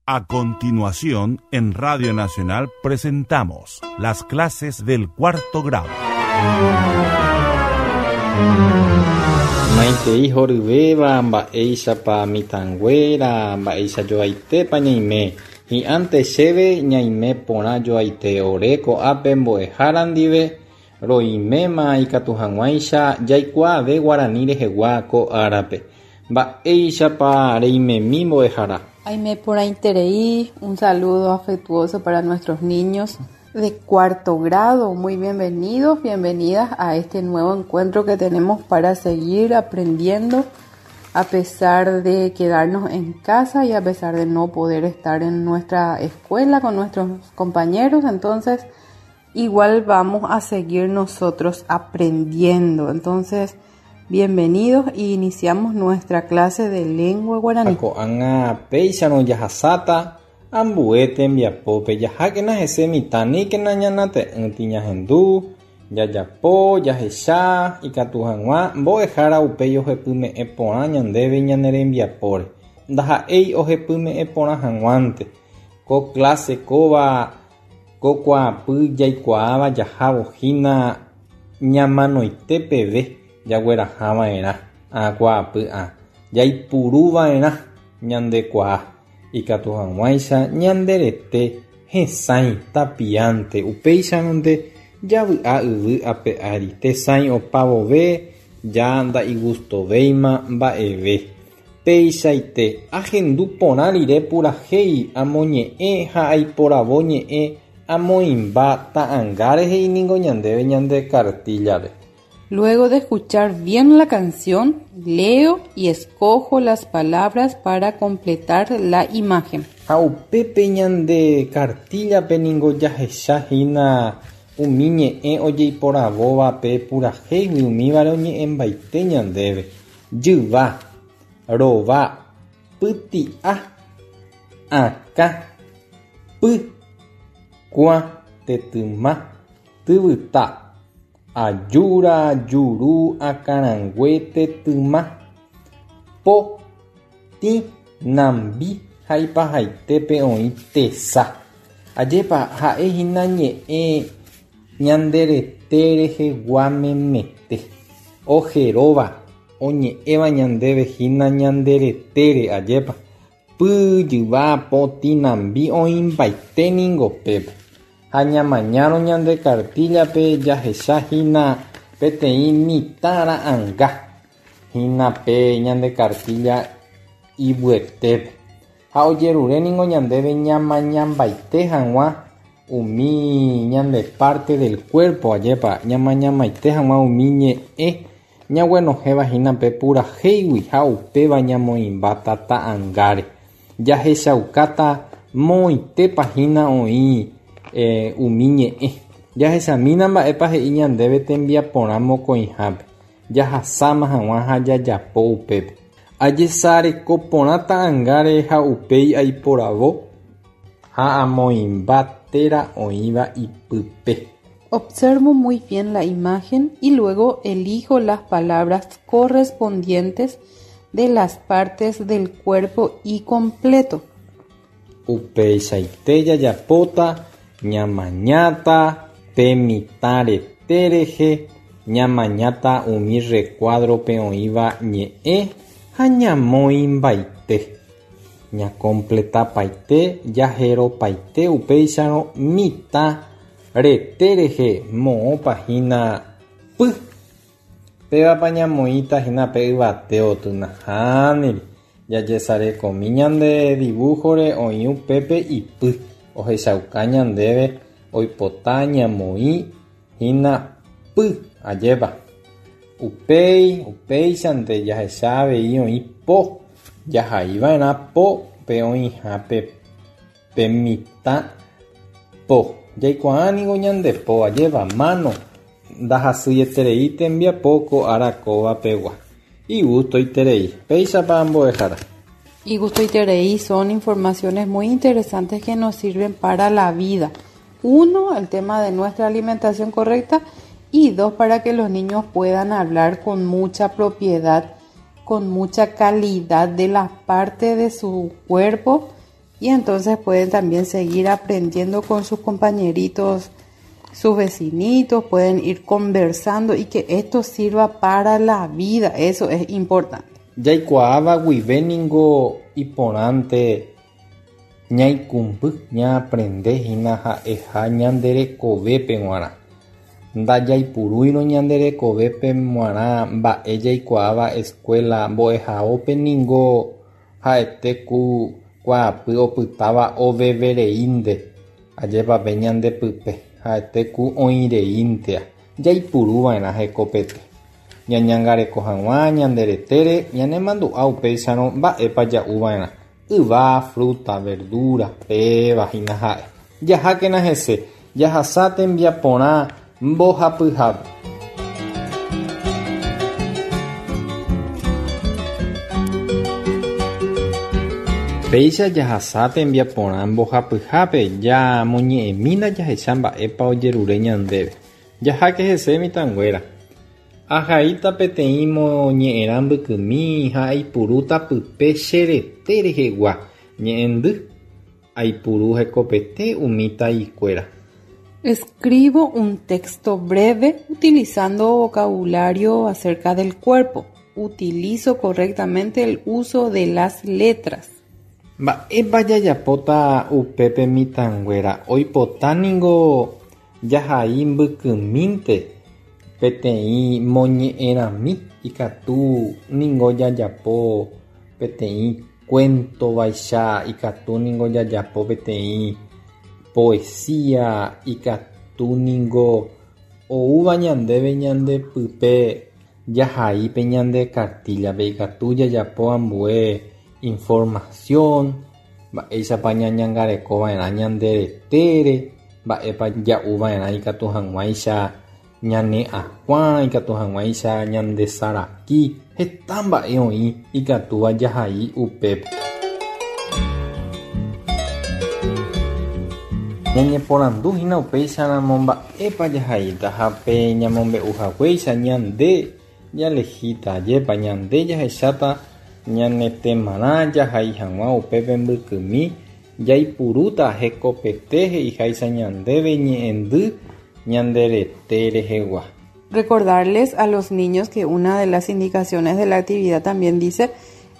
A continuación, en Radio Nacional presentamos las clases del cuarto grado. Maitei horyvéva mba'éichapa mitãnguéra, mba'éicha joaitépa ñaime. Hi'ãnte chéve ñaime porã joaite ore ko'ápe mbo'ehára ndive roiméma ikatu hag̃uáicha jaikuaave guarani rehegua ko árape. Mba'éichapa reimemi mbo'ehára? Aime porãiterei, un saludo afectuoso para nuestros niños de cuarto grado. Muy bienvenidos, bienvenidas a este nuevo encuentro que tenemos para seguir aprendiendo a pesar de quedarnos en casa y a pesar de no poder estar en nuestra escuela con nuestros compañeros. Entonces, igual vamos a seguir nosotros aprendiendo. Entonces, bienvenidos y iniciamos nuestra clase de lengua guaraní. Ko'ág̃a péicharõ jahasáta ambue tembiapópe jahákena hese mitã aníkena ñanate'ỹti ñahendu, jajapo, jahecha, ikatu hag̃ua mbo'ehára upéi ohepyme'ẽ porã ñandéve ñane rembiapóre. Ndaha'éi ohepyme'ẽ porã hag̃uánte. Ko clase kóva ko kuaapy jaikuaáva jahávo hína ñamanoite peve jaguerahava'erã ã kuaapy ã jaipuruva'erã ñandekuaa ikatu hag̃uáicha ñande rete hesãi tapiánte upéicharõnte javy'a yvy ape ári tesãi opavove ja nda'igustovéima mba'eve. Peichaite ahendu porã rire purahéi amoñe'ẽ ha aiporavo ñe'ẽ amoĩmba ta'ãnga rehe ningo ñandéve ñande cartilla-pe. Luego de escuchar bien la canción, leo y escojo las palabras para completar la imagen. Ha upépe ñande cartilla-pe ningo jahechahína umi ñe'ẽ ojeiporavóva pe purahéigui umívare oñe'ẽmbaite ñandéve. Jyva, rova, pyti'a, akã, py, kuã, tetyma, tyvyta, ajúra, juru, akãrangue, tetyma, po, tĩ, nambi ha ipahaitépe oĩ tesa. Ajépa ha'ehína ñe'ẽ ñande rete rehegua memete. Ojeróva oñe'ẽva ñandéve hína ñande retére ajépa. Py, jyva, po, tĩ, nambi oĩmbaite ningo pépe. Ha ñamañárõ ñande cartilla-pe jahechahína peteĩ mitã ra'ãnga hína pe ñande cartilla ivyetépe. Ha ojerure ningo ñandéve ñamañambaite hag̃ua umi ñande parte del cuerpo ajépa ñamañamaite hag̃ua umi ñe'ẽ ñaguenohẽva hína pe purahéigui ha upéva ñamoĩmbáta ta'ãngáre. Jahechaukáta moõitépa hína oĩ umi ñe'ẽ. Jahechamína mba'épa he'i ñandéve tembiaporã mokõihápe. Jahasáma hag̃ua ha jajapo upépe. Ajesareko porã ta'ãngáre ha upéi aiporavo ha amoĩmba téra oĩva ipype. Observo muy bien la imagen y luego elijo las palabras correspondientes de las partes del cuerpo y completo. Upeichaite jajapóta ñamañáta pe mitã rete rehe, ñamañáta umi recuadro-pe oĩva ñe'ẽ ha ñamoĩmbaite. Ñakompletapaite jaheropaite upéicharõ mitã rete rehe moõpa hína py. Pévapa ñamoĩta hína pe yvate otynahániri. Jajesarekomi ñande dibujo-re oĩ upépe ipy. Ohechauka ñandéve oipota ñamoĩ hína py ajépa. Upéi, upéichante jahecha avei oĩ po. Jahaiva'erã po pe oĩha pe mitã po. Jaikuaa ningo ñande po ajépa mano ndahasyeterei tembiapo ko ára kóva pegua. Igustoiterei. Péichapa mbo'ehára. Igustoiterei son informaciones muy interesantes que nos sirven para la vida. Uno, el tema de nuestra alimentación correcta y dos, para que los niños puedan hablar con mucha propiedad, con mucha calidad de la parte de su cuerpo. Y entonces pueden también seguir aprendiendo con sus compañeritos, sus vecinitos, pueden ir conversando y que esto sirva para la vida, eso es importante. Jaikuaáva guive ningo iporãnte ñaikũmby ñaaprende hína ha'eha ñande rekovépe g̃uarã. Ndajaipurúirõ ñande rekovépe g̃uarã mba'e jaikuaáva escuela mbo'ehaópe ningo ha'ete ku kuaapy opytáva ovevereínte, ajépa pe ñande pype, ha'ete ku oĩreíntea, jaipuruva'erã hekopete. Ñañangareko hag̃ua ñande retére ñanemandu'a upéicharõ mba'épa ja'uva'erã, yva, fruta, verdura, péva hína ha'e. Jahákena hese, jahasa tembiaporã mbohapyhápe. Péicha jahasa tembiaporã mbohapyhápe jamoñe'ẽmína jahecha mba'épa ojerure ñandéve. Jaháke hese mitãnguéra. Ahaíta peteĩ moñe'ẽrã mbykymi ha aipurúta pype che rete rehegua ñe'ẽndy, aipuru hekopete umi taikuéra. Escribo un texto breve utilizando vocabulario acerca del cuerpo. Utilizo correctamente el uso de las letras. Mba'épa jajapóta upépe mitãnguéra? Oipota ningo jahai mbykymínte peteĩ moñe'ẽrãmi ikatu ningo jajapo peteĩ cuento vaicha, ikatu ningo jajapo peteĩ poesía, ikatu ningo oúva ñandéve ñande pype jahai pe ñande cartilla-pe, ikatu jajapo ambue información, mba'éichapa ñañangarekova'erã ñande retére, mba'épa ja'uva'erã ikatu hag̃uáicha ñane akuã, ikatu hag̃uáicha ñande saraki, heta mba'e oĩ ikatúva jahai upépe. Ñañeporanduhína upéicharamo mba'épa jahaíta ha pe ñamombe'uhaguéicha ñande jalehíta, ajépa ñande jahecháta ñane temarã jahai hag̃ua upépe mbykymi jaipurúta hekopete he'iháicha ñandéve ñe'ẽndy ñande rete rehegua. Recordarles a los niños que una de las indicaciones de la actividad también dice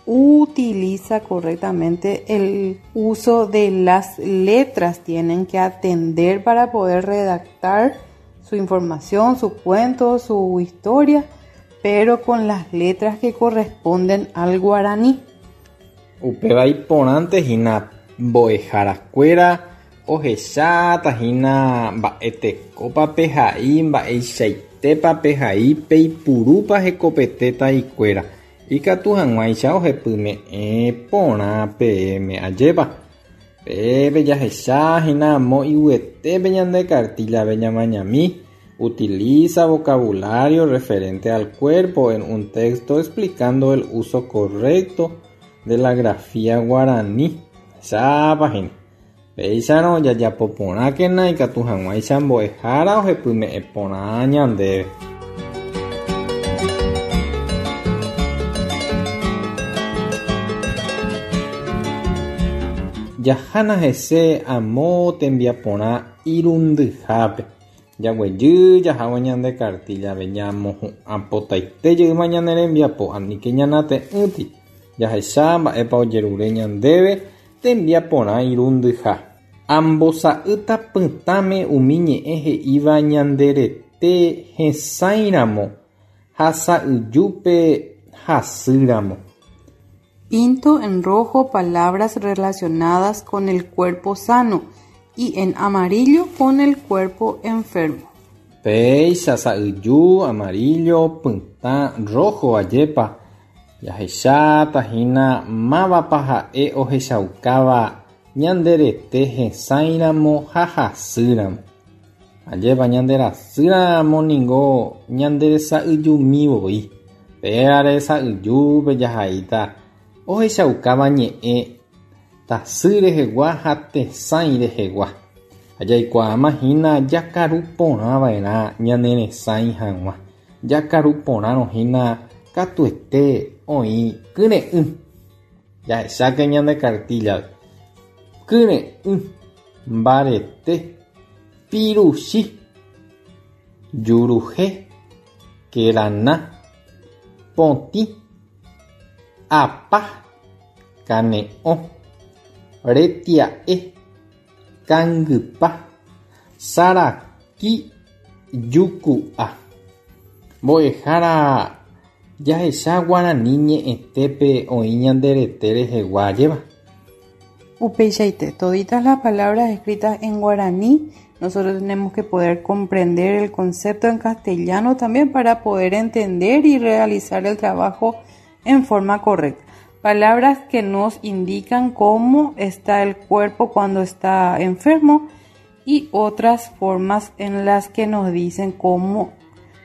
utiliza correctamente el uso de las letras. Tienen que atender para poder redactar su información, su cuento, su historia, pero con las letras que corresponden al guaraní. Upéva iporãnte hína mbo'eharakuéra ohecháta hína mba'etekópa pehai, mba'eichaitépa pehai, peipurúpa hekopete taikuéra. Ikatu hag̃uáicha ohepyme'ẽ porã peẽme ajépa. Pépe jahecha hína amo iguyetépe ñande cartilla-pe ñamañami. Utiliza vocabulario referente al cuerpo en un texto explicando el uso correcto de la grafía guaraní. Chápa hína. Péicharõ jajapo porãkena ikatu hag̃uáicha mbo'ehára ohepyme'ẽ porã ñandéve. Jahána hese amo tembiaporã irundyhápe. Jaguejy jahávo ñande cartilla-pe ñamohu'ãpotaite jeýma ñane rembiapo, aníke ñanate'ỹti. Jahecha mba'épa ojerure ñandéve tembiaporã irundyha. Ambosa'ýta pytãme umi ñe'ẽ he'íva ñande rete hesãiramo ha sa'yjúpe hasýramo. Pinto en rojo palabras relacionadas con el cuerpo sano y en amarillo con el cuerpo enfermo. Péicha sa'yju, amarillo, pytã, rojo, ajépa. Jahecháta hína mávapa ha'e ohechaukáva ñande rete hesãiramo ha hasýramo. Ajépa ñande rasýramo ningo ñande sa'yjumi voi. Péare sa'yjúpe jahaíta ohechaukáva ñe'ẽ tasy rehegua ha tesãi rehegua. Ha jaikuaáma hína jakaru porãva'erã ñane resãi hag̃ua. Jakaru porãrõ hína katuete oĩ kyre'ỹ. Jahecháke ñande cartilla-pe. Kyre'ỹ, mbarete, piruchi, juruhe, kerana, potĩ, apa, kane'õ, retia'e, kangypa, saraki, juku'a. Mbo'ehára jahecha guarani ñe'ẽtépe oĩ ñande rete rehegua ajépa. Upeichaite, toditas las palabras escritas en guaraní, nosotros tenemos que poder comprender el concepto en castellano también para poder entender y realizar el trabajo en forma correcta. Palabras que nos indican cómo está el cuerpo cuando está enfermo y otras formas en las que nos dicen cómo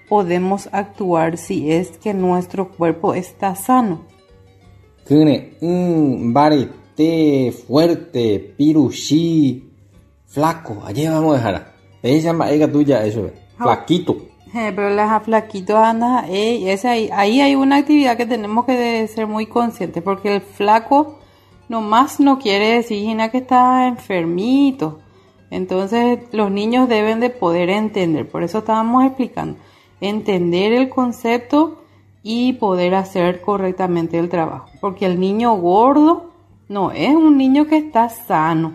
podemos actuar si es que nuestro cuerpo está sano. Kyre'ỹ, mbarete, fuerte, piruchi, flaco, ajépa mbo'ehára. Péicha mba'e ikatu ja'e chupe, flaquito. Pero las flaquitos anda, ey, ese ahí, ahí hay una actividad que tenemos que ser muy conscientes, porque el flaco nomás no quiere decir Gina, que está enfermito. Entonces los niños deben de poder entender, por eso estábamos explicando, entender el concepto y poder hacer correctamente el trabajo, porque el niño gordo no es un niño que está sano.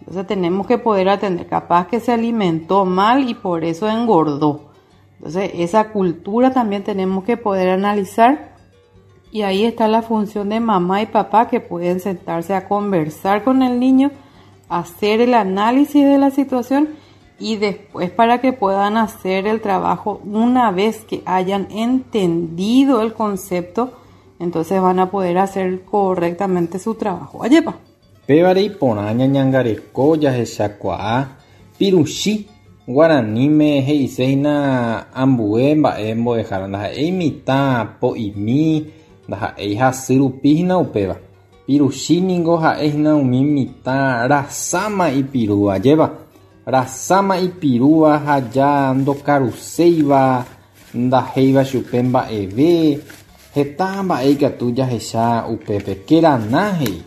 Entonces tenemos que poder atender, capaz que se alimentó mal y por eso engordó. Entonces esa cultura también tenemos que poder analizar, y ahí está la función de mamá y papá, que pueden sentarse a conversar con el niño, hacer el análisis de la situación y después para que puedan hacer el trabajo una vez que hayan entendido el concepto, entonces van a poder hacer correctamente su trabajo. Ayepa. Pévare iporã ñañangareko jahechakuaa piruchi guaraníme he'ise hína ambue mba'e mbo'ehára ndaha'éi mitã po'imi ndaha'éi hasy rupi hína upéva. Piruchi ningo ha'e hína umi mitã rasáma ipirúva, ajépa. Rasáma ipirúva ha ja ndokaruséiva ndahéiva chupe mba'eve, heta mba'e ikatu jahecha upépe. Kerana he'i.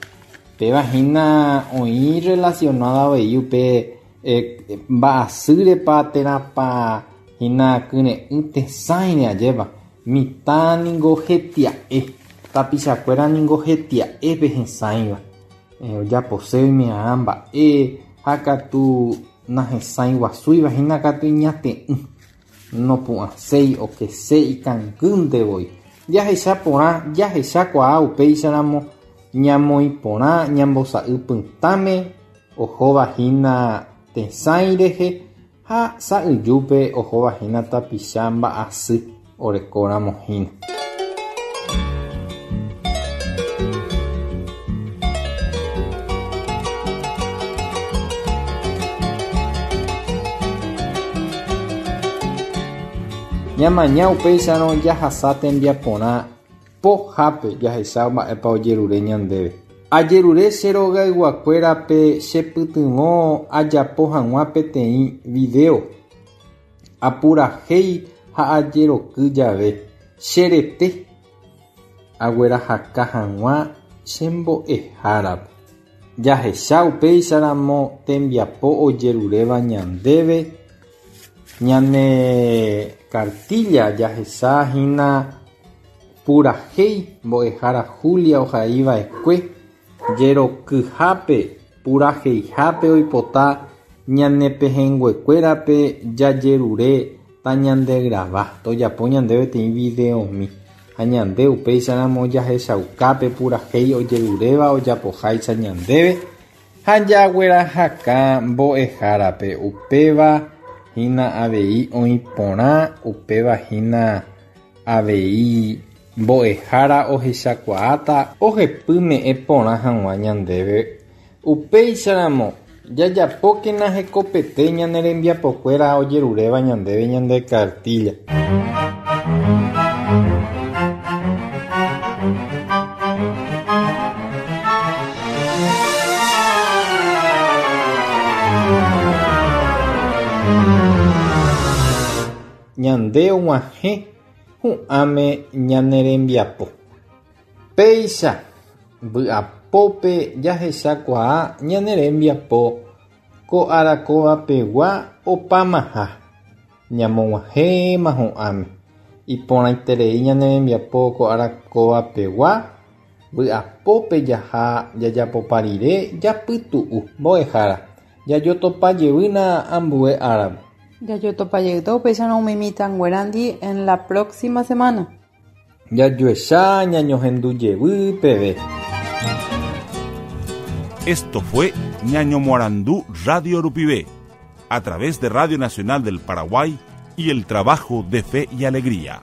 Péva hína oĩ relacionada avei upe mba'asýrepa térãpa hína kyre'ỹ tesãire, ajépa. Mitã ningo hetia'e, tapichakuéra ningo hetia'épe hesãiva. Ojapose oime'arã mba'e ha katu nahesãi guasúiva hína katu iñate'ỹ. Nopu'ãséi, okese, ikangýnte voi. Jahecha porã, jahechakuaa upéicharamo ñamoĩ porã ñambosa'y pytãme ohóva hína tesãi rehe ha sa'yjúpe ohóva hína tapicha mba'asy orekóramo hína. Ñamaña upéicharõ jahasa tembiaporã pohápe jahecha mba'épa ojerure ñandéve. Ajerure che rogayguakuérape chepytyvõ ajapo hag̃ua peteĩ video. Apurahéi ha ajeroky jave che rete aguerahaka hag̃ua che mbo'ehárape. Jahecha upéicharamo tembiapo ojeruréva ñandéve ñane cartilla jahecha hína purahéi mbo'ehára Julia ohaiva'ekue jerokyhápe puraheihápe oipota ñane pehẽnguekuérape jajerure tañandegrava tojapo ñandéve peteĩ videomi ha ñande upéicharamo jahechaukápe purahéi ojeruréva ojapoháicha ñandéve ha jaguerahaka mbo'ehárape upéva hína avei oĩ porã upéva hína avei mbo'ehára ohechakuaáta ohepyme'ẽ porã hag̃ua ñandéve upéicharamo jajapókena hekopete ñane rembiapokuéra ojeruréva ñandéve ñande cartilla. Ñande og̃uahẽ hu'ãme ñane rembiapo. Péicha vy'apópe. Vy'apópe jahechakuaa ñane rembiapo ko ára kóvapegua opámaha. Ñamog̃uahẽma hu'ãme. Iporãiterei ñane rembiapo ko ára kóvapegua, vy'apópe jaha jajapopa rire japytu'u. Mbo'ehára, jajotopa jevýna ambue árape. Jajotopa jeýta upéicharõ umi mitãnguérandi en la próxima semana. Jajuecha ñañohendu jevy peve. Esto fue Ñañomoarandu Radio Rupive, a través de Radio Nacional del Paraguay y el trabajo de Fe y Alegría.